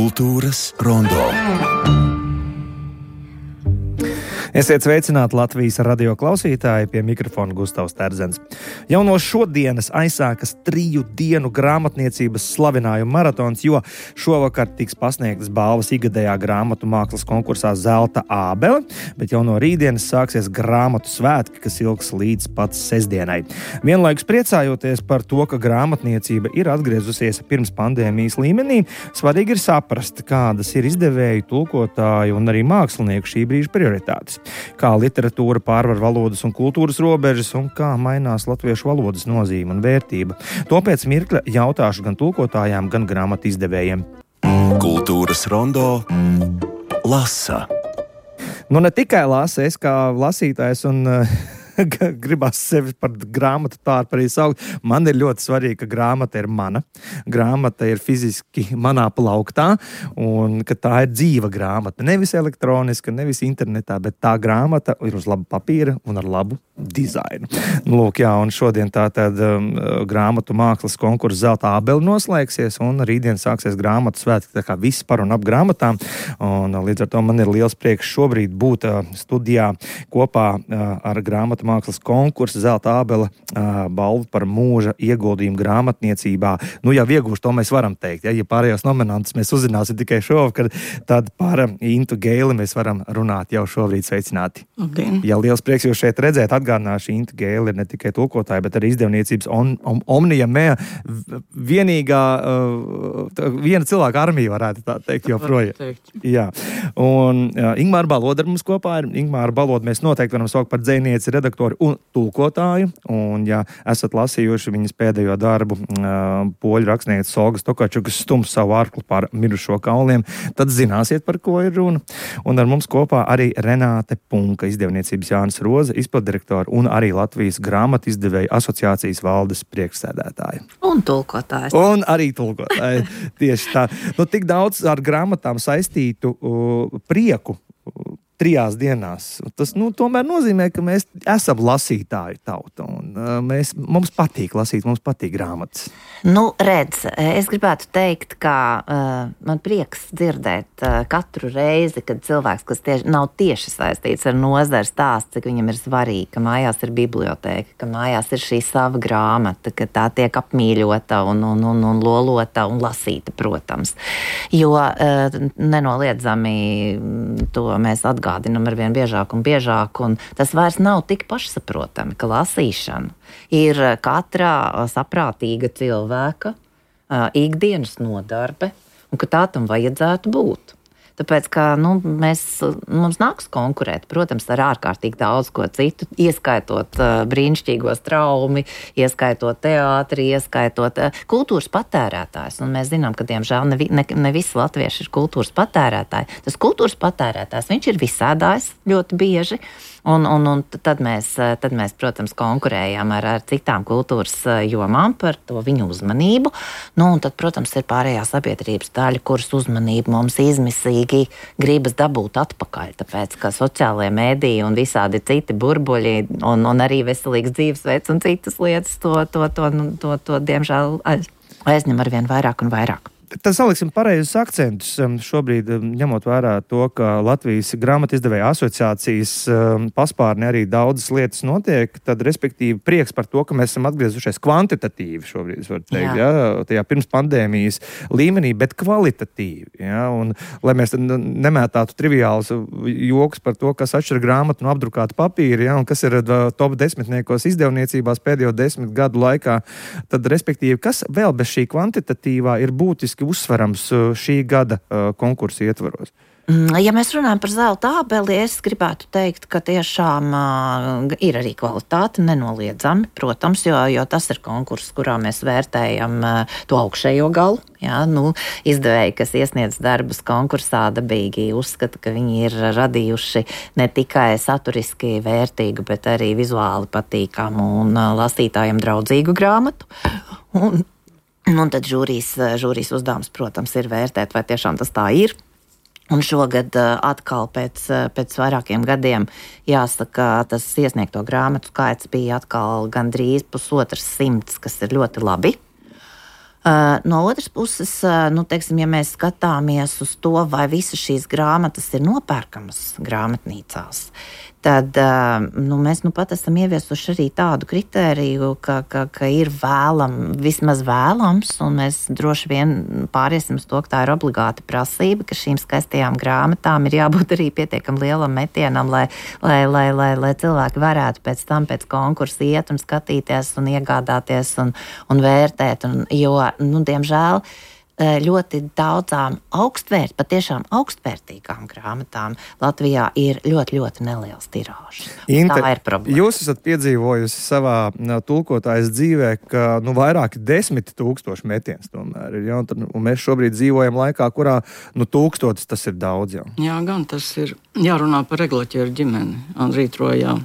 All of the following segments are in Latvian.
Kultūras rondo. Esiet sveicināti Latvijas radio klausītāji, pie mikrofona Gustavs Terzens. Jau no šodienas aizsākas 3 dienu grāmatniecības slavinājuma maratons, jo šovakar tiks pasniegtas balvas ikgadējā grāmatu mākslas konkursā Zelta ābele, bet jau no rītdienas sāksies grāmatu svētki, kas ilgs līdz pat sestdienai. Vienlaikus priecājoties par to, ka grāmatniecība ir atgriezusies pirms pandēmijas līmenī, svarīgi ir saprast, kādas ir izdevēju, tulkotāju un arī mākslinieku šī brīža prioritātes. Kā literatūra pārvar valodas un kultūras robežas un kā mainās latviešu valodas nozīme un vērtība. To pēc mirkļa jautāšu gan tulkotājām, gan grāmatu izdevējiem. Kultūras rondo lasa. Nu ne tikai lasa, es kā lasītājs un gribas sevi par grāmatu tādu arī saukt. Man ir ļoti svarīgi, ka grāmata ir mana. Grāmata ir fiziski manā plauktā un ka tā ir dzīva grāmata. Nevis elektroniska, nevis internetā, bet tā grāmata ir uz laba papīra un ar labu dizainu. Lūk, jā, un šodien tātad grāmatu mākslas konkurss Zelta ābele noslēgsies un rītdien sāksies grāmatu svētki, tā kā viss par un ap grāmatām. Un līdz ar to man ir liels prieks šobrīd būt studijā kopā ar grāmatu mākslas konkursu Zelta ābele balvu par mūža ieguldījumu grāmatniecībā. Nu, jau iegūšu, to mēs varam teikt. Ja pārējos nominantus mēs uzzināsim tikai šovakar, tad par Intu Geili mēs varam runāt jau šobrīd. Sveicināti. Okay. Ja liels prieks jūs šeit redzēt, atgādināšu, Inta Geili ir ne tikai tulkotāja, bet arī izdevniecības Omnia Mea vienīgā, viena cilvēka armija, varētu tā teikt, joprojām. Jā. Un Ingmāra Baloda ar mums kopā ir. Ingmāra Baloda mēs noteikti varam saukt par dzejnieci, redaktori un tulkotāju. Un, ja esat lasījuši viņas pēdējo darbu, poļu rakstniece Olgas Tokarčukas Stums savu arklu par mirušo kauliem, tad zināsiet, par ko ir runa. Un ar mums kopā arī Renāte Punka, izdevniecības Jānis Roze, izpildirektora un arī Latvijas grāmatu izdevēju asociācijas valdes priekšsēdētāja. Un tulkotājs. Un arī tulkotāja. Tieši tā. Nu, tik daudz ar grāmatām saistītu prieku 3 dienās. Tas, tomēr nozīmē, ka mēs esam lasītāju tauta. Un, mums patīk lasīt, mums patīk grāmatas. Redz, es gribētu teikt, ka man prieks dzirdēt katru reizi, kad cilvēks, kas nav tieši saistīts ar nozari, stāsts, cik viņam ir svarīgi, ka mājās ir bibliotēka, ka mājās ir šī sava grāmata, ka tā tiek apmīļota un lolota un lasīta, protams. Jo nenoliedzami to mēs atgādinam arvien biežāk un biežāk, un tas vairs nav tik pašsaprotami, ka lasīšana ir katra saprātīga cilvēka ikdienas nodarbe, un ka tā tam vajadzētu būt. Tāpēc, ka mums nāks konkurēt, protams, ar ārkārtīgi daudz ko citu, ieskaitot brīnišķīgo straumi, ieskaitot teātri, ieskaitot kultūras patērētājs. Un mēs zinām, ka, diemžēl, ne visi latvieši ir kultūras patērētāji. Tas kultūras patērētājs, viņš ir visādājs ļoti bieži, un tad mēs, protams, konkurējam ar citām kultūras jomām par to viņu uzmanību. Un tad, protams, ir pārējā sabiedrības daļa, kuras uzmanību mums izmisīgi gribas dabūt atpakaļ, tāpēc, ka sociālajie mēdīji un visādi citi burbuļi un arī veselīgs dzīvesveids un citas lietas to diemžēl aizņem arvien vairāk un vairāk. Tad saliksim pareizus akcentus. Šobrīd, ņemot vērā to, ka Latvijas grāmatu izdevēju asociācijas paspārnē arī daudzas lietas notiek, tad, respektīvi, prieks par to, ka mēs esam atgriezušies kvantitatīvi šobrīd, var teikt, tajā pirms pandēmijas līmenī, bet kvalitatīvi. Ja? Un, lai mēs nemētātu triviālus joks par to, kas atšķir grāmatu no apdrukāta papīra, ja? Un kas ir top 10 izdevniecībās pēdējo 10 gadu laikā, tad, respektīvi, kas vēl bez šī kvantitatīvā ir būtiski uzsverams šī gada konkursa ietvaros? Ja mēs runājam par Zelta ābeli, es gribētu teikt, ka tiešām ir arī kvalitāte nenoliedzami, protams, jo tas ir konkurss, kurā mēs vērtējam to augšējo galu. Jā, izdevēji, kas iesniedz darbus konkursā, dabīgi uzskata, ka viņi ir radījuši ne tikai saturiski vērtīgu, bet arī vizuāli patīkamu un lasītājiem draudzīgu grāmatu. Un tad žūrijas uzdevums, protams, ir vērtēt, vai tiešām tas tā ir. Un šogad atkal pēc vairākiem gadiem jāsaka, tas iesniegto grāmatu skaits bija atkal gandrīz 150, kas ir ļoti labi. No otras puses, teiksim, ja mēs skatāmies uz to, vai visas šīs grāmatas ir nopērkamas grāmatnīcās, tad mēs pat esam ieviesuši arī tādu kritēriju, ka ir vismaz vēlams, un mēs droši vien pāriesim uz to, ka tā ir obligāta prasība, ka šīm skaistajām grāmatām ir jābūt arī pietiekam lielam metienam, lai cilvēki varētu pēc tam pēc konkursa iet un skatīties un iegādāties un vērtēt, jo, diemžēl, ļoti daudzām patiešām augstvērtīgām grāmatām Latvijā ir ļoti, ļoti neliels tirāžs. Tā ir problēma. Jūs esat piedzīvojusi savā tulkotājas dzīvē, ka vairāki 10 000 metiens tomēr ir. Ja? Un mēs šobrīd dzīvojam laikā, kurā 1000 tas ir daudz. Ja? Jā, gan tas ir jārunā par Eglaķieru ģimeni. Andrītrojā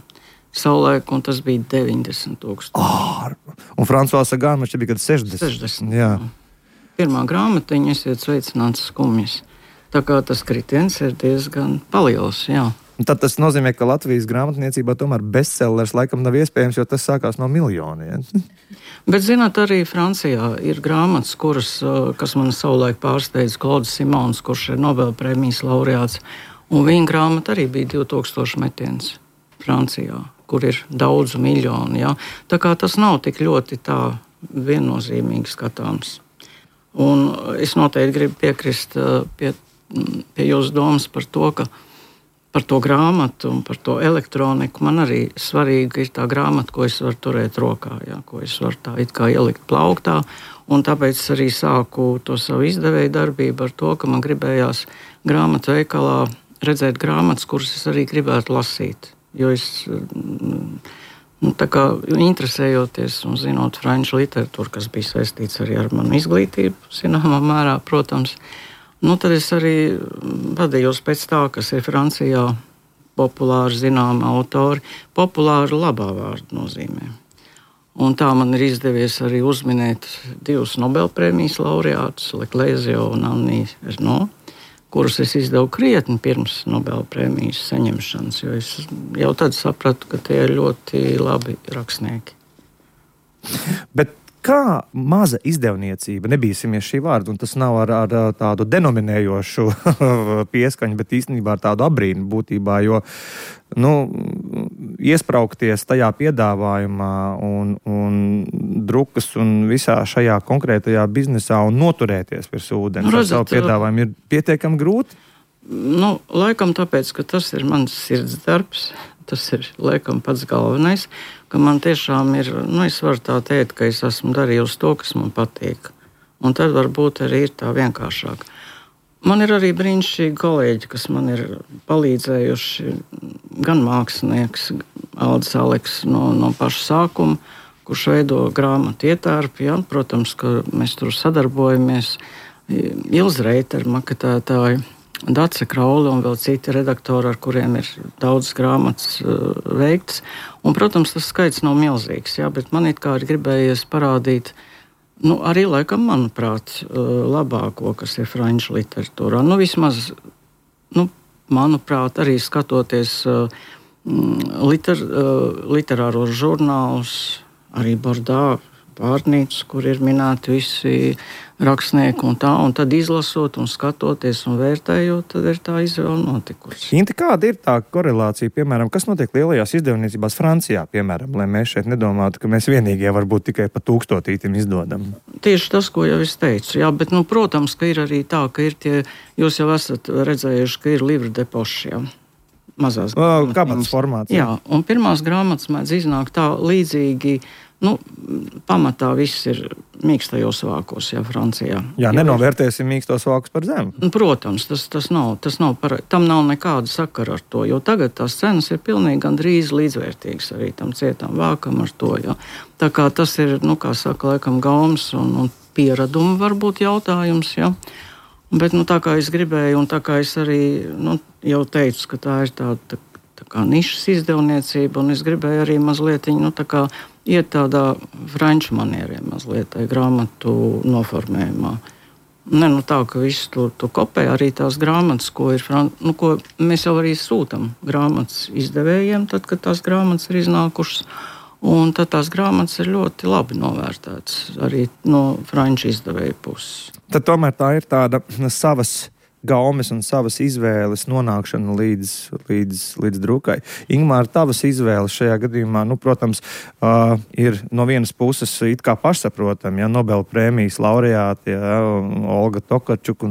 savulaik, un tas bija 90 000. Un Francois Sagāns man šķiet bija 60. Jā. Pirmā grāmatiņa, esiet sveicināts skumjas. Tā kā tas kritiens ir diezgan paliels, jā. Un tad tas nozīmē, ka Latvijas grāmatniecībā tomēr bestsellers laikam nav iespējams, jo tas sākās no miljoniem. Bet, zināt, arī Francijā ir grāmatas, kas man savulaik pārsteidz, Klauds Simons, kurš ir Nobelprēmijas laureāts, un viņa grāmata arī bija 2000 metiens Francijā, kur ir daudzu miljonu, jā. Tā kā tas nav tik ļoti tā viennozīmīgi skatāms. Un es noteikti gribu piekrist pie jūsu domas par to, ka par to grāmatu un par to elektroniku man arī svarīga ir tā grāmata, ko es varu turēt rokā, jā, ko es varu tā it kā ielikt plauktā. Un tāpēc arī sāku to savu izdevēju darbību ar to, ka man gribējās grāmatu veikalā redzēt grāmatas, kuras es arī gribētu lasīt. Jo es tā kā interesējoties un zinot franču literatūru, kas bija saistīts arī ar manu izglītību, zināmā mērā, protams, tad es arī vadījos pēc tā, kas ir Francijā populāri zināma autori, populāri labā vārda nozīmē. Un tā man ir izdevies arī uzminēt 2 Nobelprēmijas laureātus, Leclésio un Annie Ernaux, kurus es izdevu krietni pirms Nobelprēmijas saņemšanas, jo es jau tad sapratu, ka tie ir ļoti labi rakstnieki. Bet kā maza izdevniecība, nebīsimies šī vārda, un tas nav ar tādu denominējošu pieskaņu, bet īstenībā ar tādu abrīnu būtībā, jo iespraukties tajā piedāvājumā un drukas un visā šajā konkrētajā biznesā un noturēties pie ūdens ar savu piedāvājumu ir pietiekami grūti? Laikam tāpēc, ka tas ir mans sirds darbs, tas ir laikam pats galvenais, ka man tiešām ir, es varu tā teikt, ka es esmu darījusi to, kas man patīk. Un tad varbūt arī ir tā vienkāršāk. Man ir arī brīnišķīgi kolēģi, kas man ir palīdzējuši, gan mākslinieks Aldis Aleks no paša sākuma, kurš veido grāmatu ietērpi. Ja? Protams, ka mēs tur sadarbojamies. Ilze Reitera, maketētāji, Dace Kraule un vēl citi redaktori, ar kuriem ir daudz grāmatas veikts. Un, protams, tas skaits nav milzīgs, ja? Bet man it kā ir gribējies parādīt arī laikam, manuprāt, labāko, kas ir franču literatūrā. Vismaz, manuprāt, arī skatoties literāros žurnālus, arī Bordā pārnīcas, kur ir minēti visi rakstnieki un tā, un tad izlasot un skatoties un vērtējot, tad ir tā izvēle notikusi. Inti, kāda ir tā korelācija, piemēram, kas notiek lielajās izdevniecībās Francijā, piemēram, lai mēs šeit nedomātu, ka mēs vienīgie varbūt tikai pa 1000 izdodam? Tieši tas, ko jau es teicu, jā, bet, protams, ka ir arī tā, ka ir tie, jūs jau esat redzējuši, ka ir livre de poche, jā. Mazās kabatas formāts. Jā, un pirmās grāmatas mēdz iznākt tā līdzīgi, pamatā viss ir mīkstajos vākos, jā, Francijā. Jā, nenovērtēsim mīkstos vākus par zemu. Protams, tam nav nekāda sakara ar to, jo tagad tās cenas ir pilnīgi gandrīz līdzvērtīgas arī tam cietam vākam ar to, jā. Tā kā tas ir, kā saka, laikam gaumas un pieraduma varbūt jautājums, jā. Bet, tā kā es gribēju, un tā kā es arī, jau teicu, ka tā ir tā kā nišas izdevniecība, un es gribēju arī mazliet, tā kā iet tādā franču manieriem mazliet, tai grāmatu noformējumā. Tā, ka visu to kopē arī tās grāmatas, ko mēs jau arī sūtam grāmatas izdevējiem, tad, kad tās grāmatas ir iznākušas. Un tad tās grāmatas ir ļoti labi novērtētas arī no franču izdevēja puses. Tad tomēr tā ir tāda savas gaumes un savas izvēles nonākšana līdz drukai. Ingmār, tavas izvēles šajā gadījumā, protams, ir no vienas puses it kā pašsaprotam, Nobela prēmijas laureāti, Olga Tokarčuku,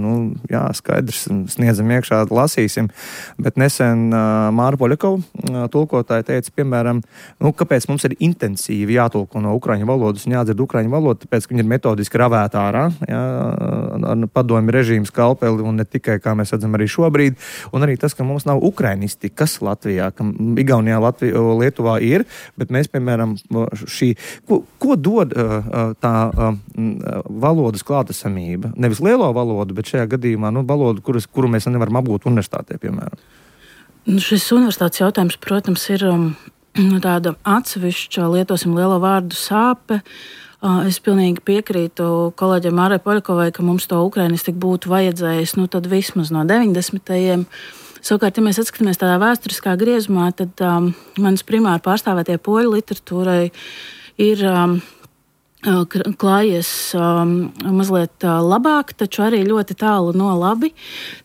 skaidrs, sniedzam iekšā, lasīsim, bet nesen Māra Poļakova tulkotāja teica, piemēram, kāpēc mums ir intensīvi jātulko no ukraiņu valodas un jādzird ukraiņu valodu, tāpēc, ka viņi ir metodiski ravēt ārā, ar padomju režīmu skalpeli un ne tikai, kā mēs redzam arī šobrīd, un arī tas, ka mums nav ukrainisti, kas Latvijā, ka Igaunijā, Lietuvā ir, bet mēs, piemēram, ko dod tā valodas klātesamība? Nevis lielo valodu, bet šajā gadījumā, valodu, kuru mēs nevaram apgūt universitātē, piemēram. Šis universitātes jautājums, protams, ir tāda atsevišķa, lietosim lielo vārdu sāpe. Es pilnīgi piekrītu kolēģiem Mārai Poļakovai, ka mums to ukrainistiku būtu vajadzējis, tad vismaz no 90. Savukārt, ja mēs atskatāmies tādā vēsturiskā griezumā, tad manas primāri pārstāvētie poļu literatūrai ir klājies mazliet labāk, taču arī ļoti tālu no labi.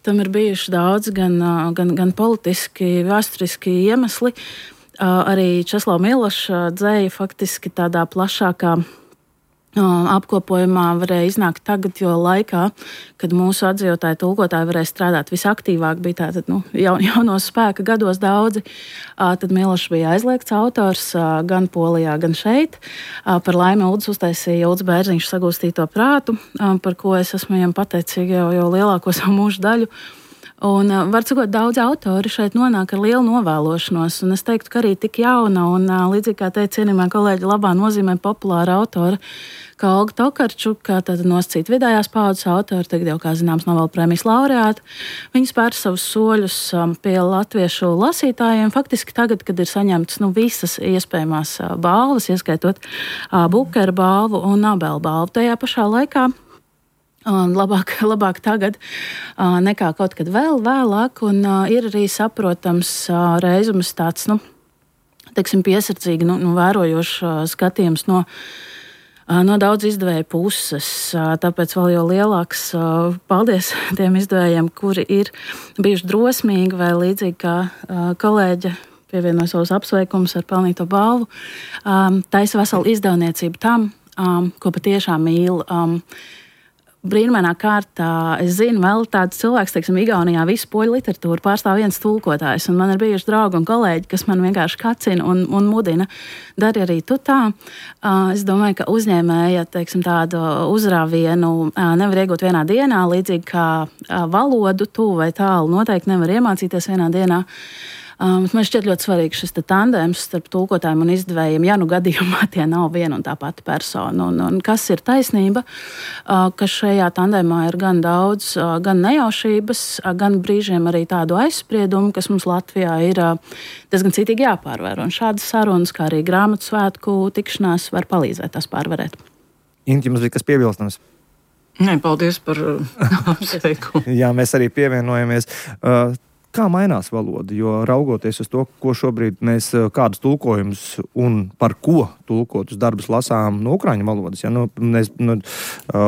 Tam ir bijuši daudz gan politiski, vēsturiski iemesli. Arī Česlava Miloša dzēja faktiski tādā plašākā apkopojumā varēja iznākt tagad, jo laikā, kad mūsu atzīvotāji tulkotāji varēja strādāt visaktīvāk, bija tātad jaunos spēka gados daudzi, tad Milošs bija aizliegts autors gan Polijā, gan šeit. Par laimi Uldis uztaisīja Uldis Bērziņš sagūstīto prātu, par ko es esmu viņam pateicīga jau lielāko savu mūžu daļu. Un, var sakot, daudz autori šeit nonāk ar lielu novēlošanos, un es teiktu, ka arī tik jauna un līdzīgi kā teica cienījamā kolēģa labā nozīmē populāra autora, kā Olga Tokarčuka, tad nosacīt vidējās paudzes autori, tagad jau, kā zināms, Nobela prēmijas laureāti. Viņi spēr savus soļus pie latviešu lasītājiem. Faktiski tagad, kad ir saņemtas visas iespējamās balvas, ieskaitot Bukera balvu un Nobela balvu, tajā pašā laikā labāk tagad nekā kaut kad vēl vēlāk, un ir arī saprotams reizums tāds, piesardzīgi, vērojošs skatījums no daudz izdevēju puses. Tāpēc vēl jau lielāks paldies tiem izdevējiem, kuri ir bijuši drosmīgi vai līdzīgi kā kolēģe pievienoja savus apsveikumus ar pelnīto balvu. Taisa veselu izdevniecību tam, ko patiešām mīl. Brīnumainā kārtā es zinu vēl tāds cilvēks, Igaunijā visu poļu literatūru pārstāv viens tulkotājs, un man ir bijuši draugi un kolēģi, kas man vienkārši kacina un mudina. Dari arī tu tā. Es domāju, ka uzņēmēja, tādu uzrāvienu nevar iegūt vienā dienā, līdzīgi kā valodu tuvu vai tālu noteikti nevar iemācīties vienā dienā. Man šķiet ļoti svarīgi šis tandēms starp tulkotājiem un izdevējiem, ja gadījumā tie nav viena un tā pati persona. Un kas ir taisnība, ka šajā tandēmā ir gan daudz, gan nejaušības, gan brīžiem arī tādu aizspriedumu, kas mums Latvijā ir diezgan citīgi jāpārvar. Un šādas sarunas, kā arī grāmatu svētku tikšanās, var palīdzēt tās pārvarēt. Inti, jums bija kas piebilstams? Nē, paldies par apsveikumu. Jā, mēs arī pievienojamies. Kā mainās valoda? Jo raugoties uz to, ko šobrīd mēs kādus tulkojumus un par ko tulkotus darbus lasām no ukraiņu valodas.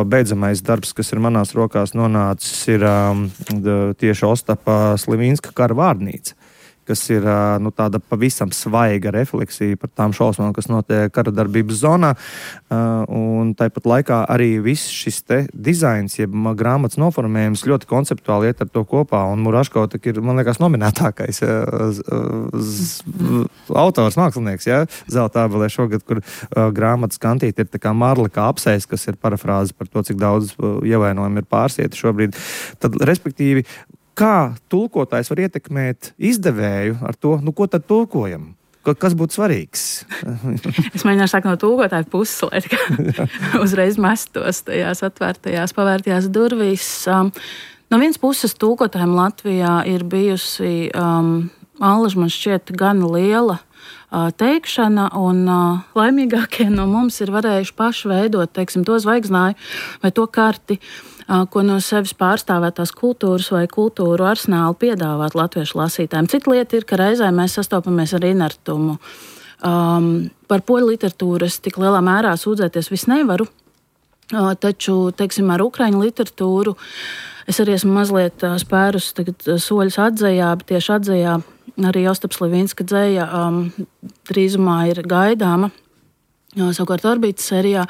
Beidzamais darbs, kas ir manās rokās nonācis, ir tieši Ostapa Slivinska kara vārnīca, kas ir tāda pavisam svaiga refleksija par tām šausmām, kas notiek kara darbības zonā. Un tāpat laikā arī viss šis te dizains, jeb grāmatas noformējums ļoti konceptuāli iet ar to kopā. Un Muraško ir, man liekas, nominētākais autors, mākslinieks, Zelta ābelē šogad, kur grāmatas kantīte ir tā kā marla kā apsēs, kas ir parafrāze par to, cik daudz ievainojumu ir pārsieti šobrīd. Tad, respektīvi, kā tulkotājs var ietekmēt izdevēju ar to, ko tad tulkojam? Kas būtu svarīgs? Es mēģināšu sākt no tulkotāja puses, lai uzreiz mestos tajās atvērtajās, pavērtajās durvīs. No vienas puses tulkotājiem Latvijā ir bijusi, allaž man šķiet, gan liela teikšana, un laimīgākie no mums ir varējuši paši veidot, to zvaigznāju vai to karti, ko no sevis pārstāvētās kultūras vai kultūru arsenālu piedāvāt latviešu lasītājiem. Cita lieta ir, ka reizē mēs sastopamies ar inertumu. Par poļu literatūru es tik lielā mērā sūdzēties vis nevaru, taču, teiksim, ar ukraiņu literatūru es arī esmu mazliet spērus soļus atzējā, bet tieši atzējā arī Ostaps Levinska dzeja drīzumā ir gaidāma, savukārt Orbītas serijā,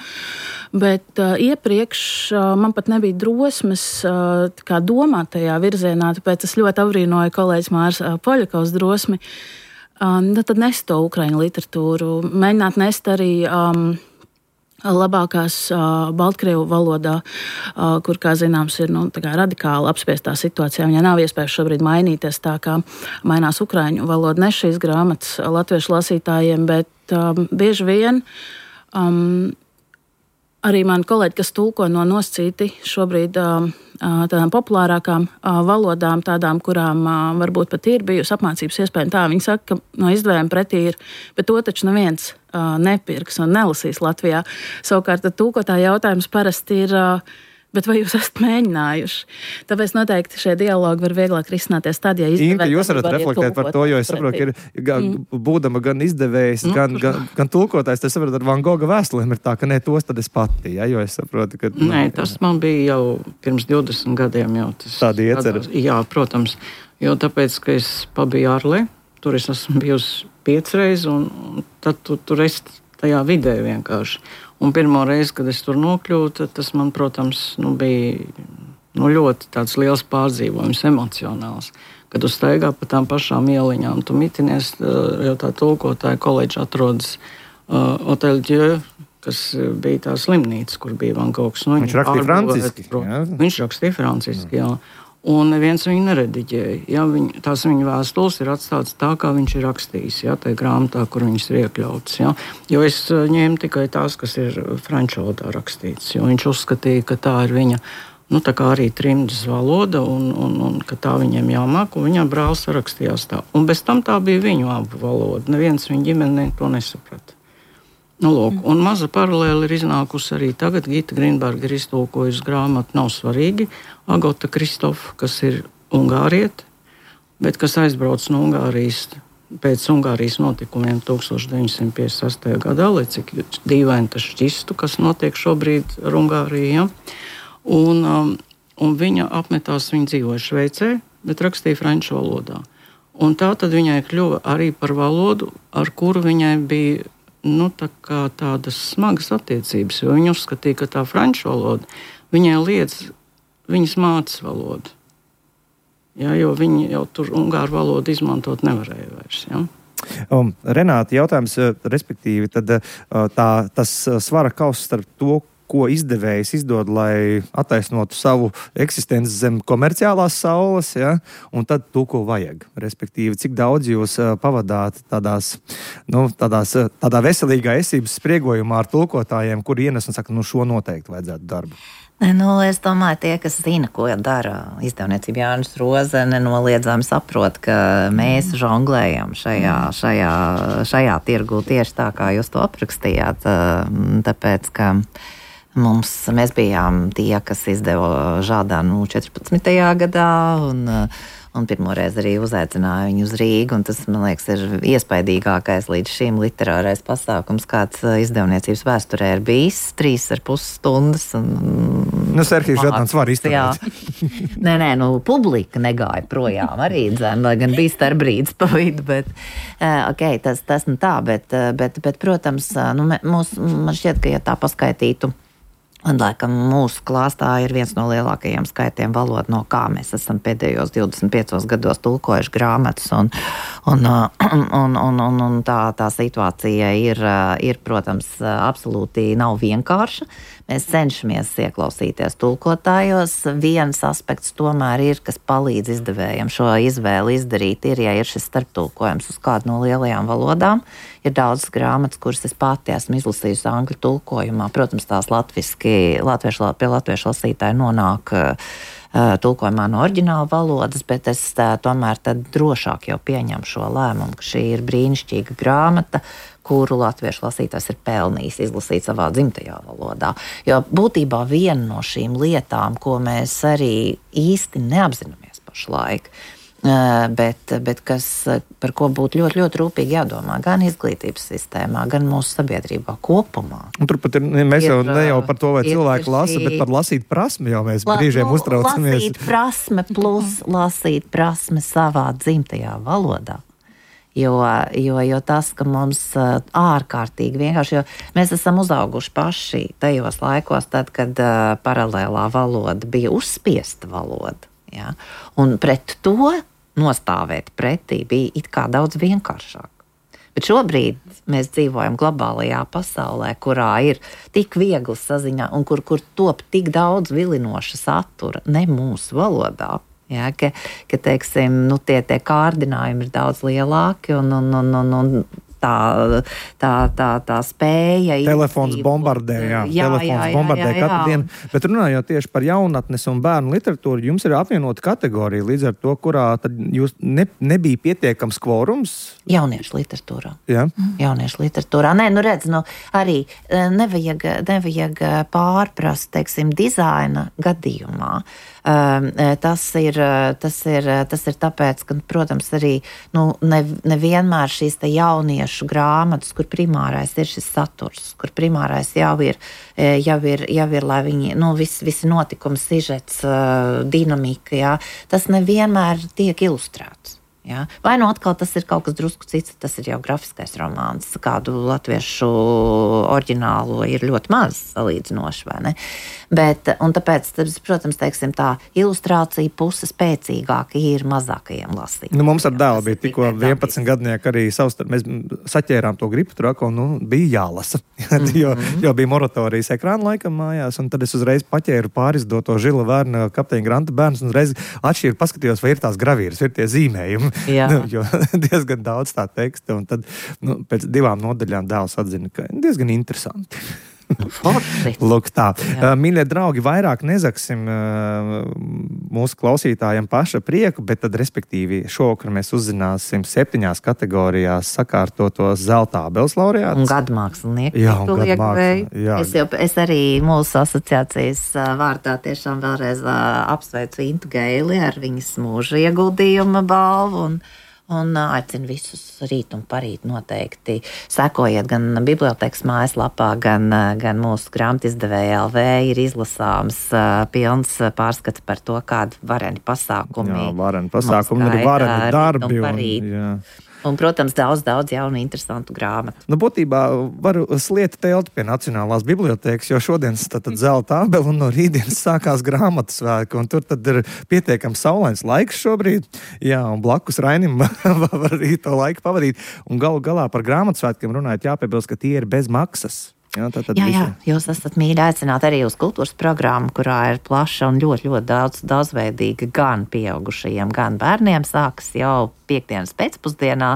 bet iepriekš man pat nebija drosmes domāt tajā virzienā, tāpēc es ļoti abrīnoju kolēģis Mārs Poļakovs drosmi, tad nest to ukraiņu literatūru, mēģināt nest arī labākās baltkrievu valodā, kur, kā zināms, ir radikāli apspiestā situācijā. Viņai nav iespējas šobrīd mainīties tā, kā mainās ukraiņu valoda. Ne šīs grāmatas latviešu lasītājiem, bet bieži vien arī mani kolēģi, kas tulko no noscīti šobrīd tādām populārākām valodām, tādām, kurām varbūt pat ir bijusi apmācības iespēja. Tā viņi saka, ka no izdevējiem pretī ir, bet to taču neviens nepirks un nelasīs Latvijā. Savukārt, tad tulkotā jautājums parasti ir, bet vai jūs esat mēģinājuši? Tāpēc noteikti šie dialogi var vieglāk risināties tad, ja izdevēji... Inka, jūs varat reflektēt par to, jo es saprotu, ka būdama gan izdevējs, gan tulkotājs, tas saprot ar Van Gogha vēstulēm ir tā, ka ne tos tad es pati, ja, jo es saprotu, ka... Nē, tas man bija jau pirms 20 gadiem jau tas... Tāda iecer. Jā, protams, jo tāpēc, ka es pabiju ārlē, tur es esmu bijusi 5 reizes, un tad tur es tajā vidē vienkārši. Un pirmo reizi, kad es tur nokļūtu, tas man, protams, bija ļoti tāds liels pārdzīvojums, emocionāls. Kad tu staigā pa tām pašām ieliņām, tu mitinies, jo tā tulkotāja koledža atrodas Hotel Dieu, kas bija tā slimnīca, kur bija Van Goghs. Viņš rakstīja franciski. Viņš rakstīja franciski, jā. Un neviens viņu nerediģēja. Ja, tās viņa vēstules ir atstātas tā, kā viņš ir rakstījis, ja, tajā grāmatā, kur viņas ir iekļautas. Ja. Jo es ņēmu tikai tās, kas ir franču valodā rakstītas, jo viņš uzskatīja, ka tā ir viņa, tā kā arī trimdas valoda, un ka tā viņiem jāmāk, un viņam brālis rakstījās tā. Un bez tam tā bija viņu abu valoda. Neviens viņa ģimenē to nesaprata. Un maza paralēle ir iznākusi arī tagad. Gita Grinberga ir iztulkojusi grāmatu Nav svarīgi. Agota Kristofa, kas ir ungāriete, bet kas aizbrauc no Ungārijas pēc Ungārijas notikumiem 1958. gadā, lai cik dīvaini tas šķistu, kas notiek šobrīd ar Ungāriju. Ja? Un viņa apmetās, viņa dzīvoja Šveicē, bet rakstīja franču valodā. Un tā tad viņai kļuva arī par valodu, ar kuru viņai bija tādas smagas attiecības, jo viņa uzskatīja, ka tā franču valoda viņai liedz viņas mātes valodu. Ja, jo viņi jau tur ungāru valodu izmantot nevarēja vairs. Ja. Renāta, jautājums, respektīvi, tad tas svara kauss starp to, ko izdevējs izdod, lai attaisnotu savu eksistenci zem komerciālās saules, ja? Un tad to, ko vajag. Respektīvi, cik daudz jūs pavadāt tādā veselīgā esības spriegojumā ar tulkotājiem, kuri ienes un saka, šo noteikti vajadzētu darbu. Es domāju, tie, kas zina, ko dara izdevniecība Jānis Roze, nenoliedzami saprot, ka mēs žonglējam šajā tirgu tieši tā, kā jūs to aprakstījāt, tāpēc, ka mēs bijām tie, kas izdeva Žādanu 14. gadā, un pirmoreiz arī uzaicināja viņu uz Rīgu, un tas, man liekas, ir iespaidīgākais līdz šim literārais pasākums, kāds izdevniecības vēsturē ir bijis, 3,5 stundas. Serhijs Žādans var izturēt. Nē, publika negāja projām arī, lai gan bija starpbrīdis pa vidu, bet, tas tā, bet protams, man šķiet, ka ja tā paskaitītu, un, laikam, mūsu klāstā ir viens no lielākajiem skaitiem valodu, no kā mēs esam pēdējos 25 gados tulkojuši grāmatas, un tā situācija ir, protams, absolūti nav vienkārša. Mēs cenšamies ieklausīties tulkotājos. Viens aspekts tomēr ir, kas palīdz izdevējiem šo izvēli izdarīt, ja ir šis starptulkojums uz kādu no lielajām valodām. Ir daudzas grāmatas, kuras es pati esmu izlasījusi angļu tulkojumā. Protams, tās pie latviešu lasītāji nonāk tulkojumā no oriģināla valodas, bet es tomēr tad drošāk jau pieņemu šo lēmumu, ka šī ir brīnišķīga grāmata, kuru latviešu lasītājs ir pelnījis izlasīt savā dzimtajā valodā. Jo būtībā viena no šīm lietām, ko mēs arī īsti neapzināmies pašlaik, bet kas, par ko būtu ļoti, ļoti rūpīgi jādomā gan izglītības sistēmā, gan mūsu sabiedrībā kopumā. Un turpat mēs jau ne jau par to, vai cilvēki lasa, bet par lasīt prasmi jau mēs brīžiem uztraucamies. Lasīt prasme plus lasīt prasme savā dzimtajā valodā. Jo tas, ka mums ārkārtīgi vienkārši, jo mēs esam uzauguši paši tajos laikos, tad, kad paralēlā valoda bija uzspiesta valoda. Ja? Un pret to nostāvēt pretī bija it kā daudz vienkāršāk. Bet šobrīd mēs dzīvojam globālajā pasaulē, kurā ir tik viegli saziņā un kur top tik daudz vilinoša satura ne mūsu valodā. Ja, ka teiksim, tie kārdinājumi ir daudz lielāki un tā spēja. Telefons bombardē, telefons bombardē katru dienu. Bet runājot tieši par jaunatnes un bērnu literatūru, jums ir apvienota kategorija līdz ar to, kurā tad jūs nebija pietiekams kvorums? Jauniešu literatūrā. Ja? Jauniešu literatūrā. Nē, redz, arī nevajag pārprast, teiksim, dizaina gadījumā. Tas ir tāpēc, ka, protams, arī nevienmēr šīs te jauniešu grāmatas, kur primārais ir šis saturs, kur primārais jau ir lai viņi, visi notikumi, sižets, dinamika, jā, tas nevienmēr tiek ilustrēts. Ja? Vai atkal tas ir kaut kas drusku cits, tas ir jau grafiskais romāns, kādu latviešu oriģinālo ir ļoti maz salīdzinoši, vai ne? Un tāpēc, protams, teiksim, tā ilustrācija puse spēcīgāka ir mazākajiem lasītājiem. Mums ar dēlu bija tikko 11 gadnieki arī mēs saķērām to gripu traku, bija jālasa, jo bija moratorijas ekrāna laikam mājās, un tad es uzreiz paķēru pārizdoto Žila Vērna Kapteiņa Granta bērnus un uzreiz atšķīru paskatījos, vai ir tās gravīras, ir tie zīmējumi. Jo diezgan daudz tā teksta, un tad pēc 2 nodaļām dēls atzina, ka diezgan interesanti. Lūk tā. Mīļie draugi, vairāk nezaksim mūsu klausītājiem paša prieku, bet tad, respektīvi, šovakar mēs uzzināsim 7 kategorijās sakārtotos zelta ābeles laureātus. Un gadmākslinieki. Jā, un gadmākslinieki. Es arī mūsu asociācijas vārdā tiešām vēlreiz apsveicu Intu Geili ar viņas mūža ieguldījuma balvu un aicinu visus rīt un parīt noteikti sekojiet gan bibliotēkas mājaslapā, gan mūsu grāmatizdevēja LV ir izlasāms pilns pārskats par to, kādi vareni pasākumi. Jā, vareni pasākumi, arī vareni darbi. Un, protams, daudz jaunu, interesantu grāmatu. Būtībā varu slieta telti pie Nacionālās bibliotēkas, jo šodienas tad zelta ābele un no rītdienas sākās grāmatu svētki, un tur tad ir pietiekams saulains laiks šobrīd. Jā, un blakus Rainim var arī to laiku pavadīt. Un galu galā par grāmatu svētkiem runājot jāpiebilst, ka tie ir bez maksas. Jā, jūs esat mīļi aicināti arī uz kultūras programmu, kurā ir plaša un ļoti, ļoti daudzveidīga gan pieaugušajiem, gan bērniem. Sākas jau piekdienas pēcpusdienā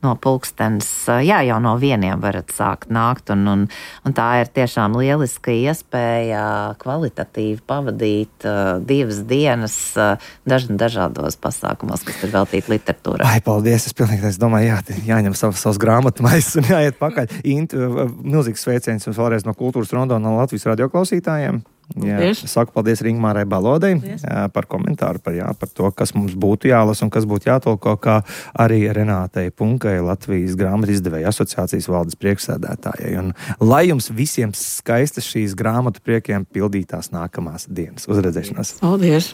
no pulkstens, jau no 1 varat sākt nākt, un tā ir tiešām lieliska iespēja kvalitatīvi pavadīt 2 dienas dažādos pasākumos, kas ir veltīti literatūrai. Ai, paldies, es domāju, jāņem savas grāmatu maisas un jāiet pakaļ. Milzīgs sveiciens jums vēlreiz no Kultūras Rondo no Latvijas radioklausītājiem. Jā, saku paldies Ringmārai Balodei par komentāru par to, kas mums būtu jālasa un kas būtu jātolko, kā arī Renātei Punkai, Latvijas grāmatizdevēja asociācijas valdes priekšsēdētājai. Un lai jums visiem skaistas šīs grāmatu priekiem pildītās nākamās dienas. Uz redzēšanos! Paldies!